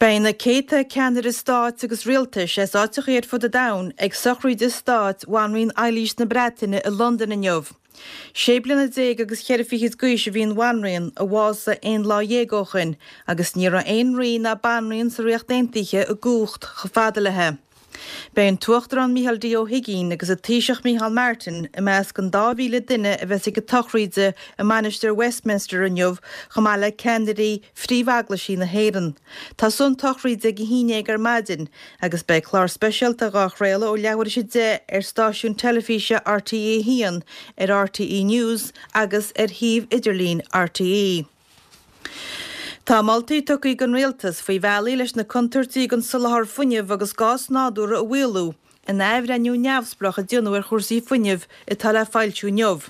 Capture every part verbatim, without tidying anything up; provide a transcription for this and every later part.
Beidh na céadta ceannaire stáit agus rialtais as áiteacha ar fud an domhain ag sochraid stáit Bhanríon Eilís na Breataine i Londain inniu. Sé bliana déag agus ceithre fichid d'aois a bhí an bhanríon a bhásaigh aon lá dhéag ó shin, agus ní raibh aon rí ná banríon sa Ríocht Aontaithe i gcumhacht chomh fada léi. Beidh an tUachtarán Micheál D. Ó hUigínn agus an Taoiseach Micheál Martin i measc an dá mhíle duine a bheas ag an tsochraid i Mainistir Westminster inniu chomh maith le ceannairí phríomheaglaisí na hÉireann. Tosóidh an tsochraid ag a haon déag ar maidin agus beidh clár speisialta dhá chraoladh ó leathuair tar éis a deich ar stáisiún teilifíse RTÉ a haon, ar RTÉ News agus ar shuíomh idirlín RTÉ. Tá moltaí tugtha ag an rialtas faoi bhealaí leis na contúirtí don soláthar fuinnimh agus gás nádúrtha a mhaolú in athbhreithniú neamhspleách a déanadh ar chúrsaí fuinnimh atá le foilsiú inniu.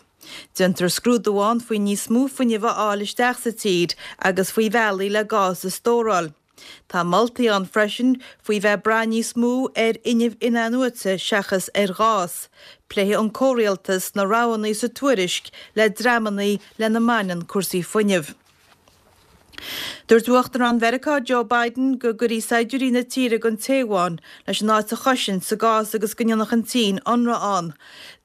Déantar scrúdú ann faoi níos mó fuinnimh a fháil isteach sa tír agus faoi bhealaí le gás a stóráil. Tá moltaí ann freisin faoi bheith ag brath níos mó ar fhuinneamh in-athnuaite seachas ar ghás. Pléifidh an comhrialtas na roghanna sa tuairisc le dreamanna lena mbaineann cúrsaí fuinnimh. Dúirt Uachtarán Mheiriceá Joe Biden go gcuirfí saighdiúirí na tíre go Téaváin leis an áit a chosaint sa gcás agus go ndéanfadh an tSín ionradh ann.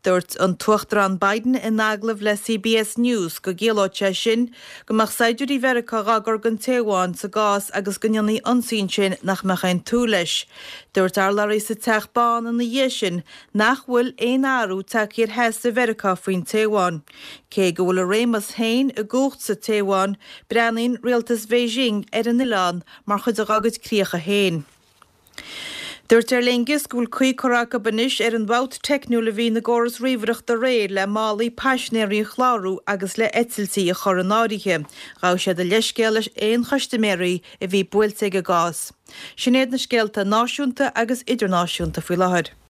Dúirt an tUachtarán Biden in agallamh le CBS News go gciallódh sé sin go mbeadh saighdiúirí Mheiriceá dhá gcur go Téaváin sa gcás agus go ndéanfaí ionsaí ansin nach mbeadh aon tsúil leis. Dúirt urlabhraí sa Teach Bán ina dhiaidh sin nach bhfuil aon athrú tagtha ar sheasamh Mheiriceá faoin Téaváin. Cé go bhfuil a réimeas féin i gcumhacht sa Téaváin, breathnaíonn rialtas Beijing ar an oileán mar chuid dá gcuid críocha féin. Dúirt Aer Lingus go bhfuil caoi curtha acu anois ar an bhfabht teicniúil a bhí ina gcóras ríomhaireachta aréir le málaí paisinéirí a chlárú agus le heitiltí a chur in áirithe. Ghabh siad a leithscéal leis aon chustaiméirí a bhí buailte ag an gcás. Sin iad na scéalta náisiúnta agus idirnáisiúnta faoi láthair.